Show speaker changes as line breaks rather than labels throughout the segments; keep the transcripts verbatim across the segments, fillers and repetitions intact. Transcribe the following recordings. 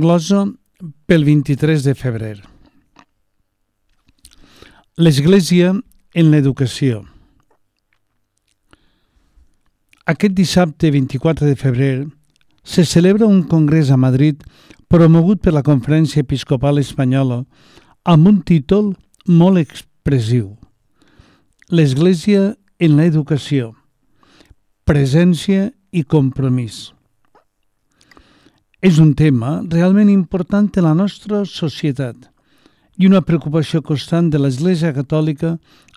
Glosa pel vint-i-tres de febrer. L'Església en l'educació. Aquest dissabte vint-i-quatre de febrer se celebra un congrés a Madrid promogut per la Conferència Episcopal Espanyola amb un títol molt expressiu: L'Església en l'educació, presència i compromís. És un tema realment important en la nostra societat i una preocupació constant de l'Església Catòlica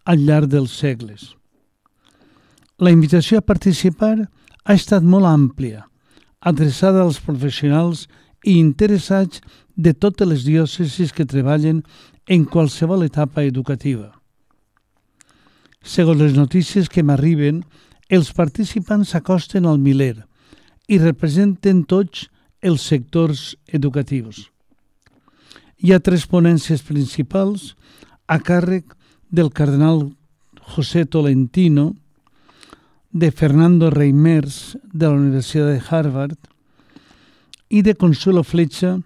al llarg dels segles. La invitació a participar ha estat molt àmplia, adreçada als professionals i interessats de totes les diòcesis que treballen en qualsevol etapa educativa. Segons les notícies que m'arriben, els participants s'acosten al miler i representen tots els sectors educatius. Hi ha tres ponències principals a càrrec del cardenal José Tolentino, de Fernando Reimers, de la Universitat de Harvard, i de Consuelo Flecha,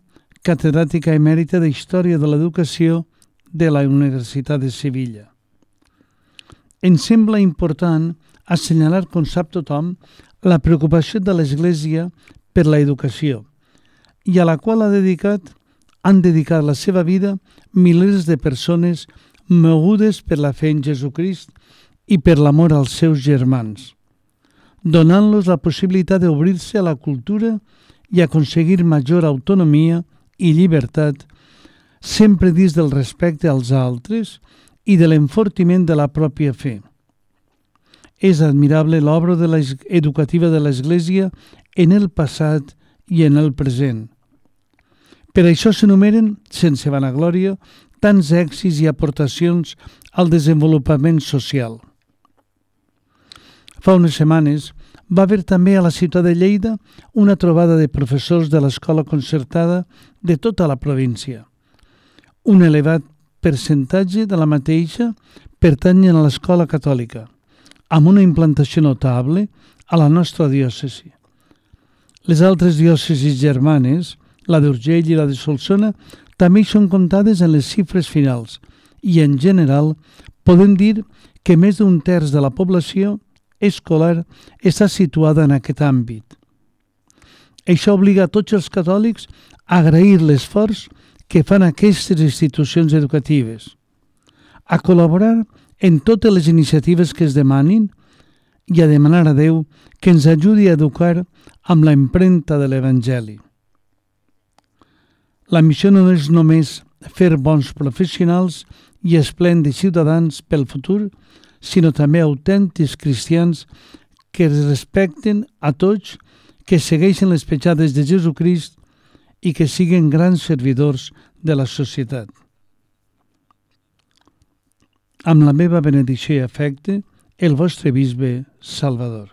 catedràtica emèrita de Història de l'Educació de la Universitat de Sevilla. Em sembla important assenyalar, com sap tothom, la preocupació de l'Església per l'educació, i a la qual ha dedicat, han dedicat la seva vida milers de persones mogudes per la fe en Jesucrist i per l'amor als seus germans, donant-los la possibilitat d'obrir-se a la cultura i aconseguir major autonomia i llibertat, sempre dins del respecte als altres i de l'enfortiment de la pròpia fe. És admirable l'obra de educativa de l'Església en el passat i en el present. Per això s'enumeren, sense vanaglòria, tants èxits i aportacions al desenvolupament social. Fa unes setmanes va haver també a la ciutat de Lleida una trobada de professors de l'escola concertada de tota la província. Un elevat percentatge de la mateixa pertanyen a l'escola catòlica, amb una implantació notable a la nostra diòcesi. Les altres diòcesis germanes, la d'Urgell i la de Solsona, també hi són comptades en les xifres finals i, en general, podem dir que més d'un terç de la població escolar està situada en aquest àmbit. Això obliga a tots els catòlics a agrair l'esforç que fan aquestes institucions educatives, a col·laborar en totes les iniciatives que es demanin i a demanar a Déu que ens ajudi a educar amb l'empremta de l'Evangeli. La missió no és només fer bons professionals i esplèndids ciutadans pel futur, sinó també autèntics cristians que es respecten a tots, que segueixen les petjades de Jesucrist i que siguen grans servidors de la societat. Amb la meva benedicció i afecte, el vostre bisbe Salvador.